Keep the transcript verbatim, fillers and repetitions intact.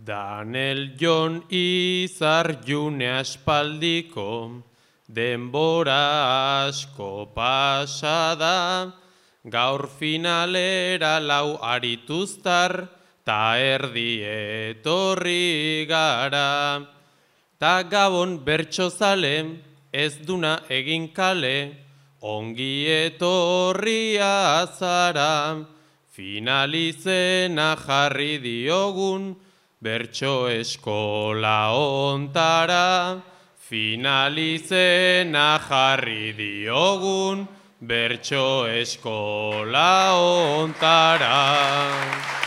Danel Jon Izar June aspaldiko, denbora asko pasada, gaur finalera lau arituztar, ta erdi etorri gara. Ta gabon bertsozale, ez duna egin kale, ongi etorria zara. Finalizena jarri diogun, bertso eskola ontara. Finalizena jarri diogun, bertso eskola ontara.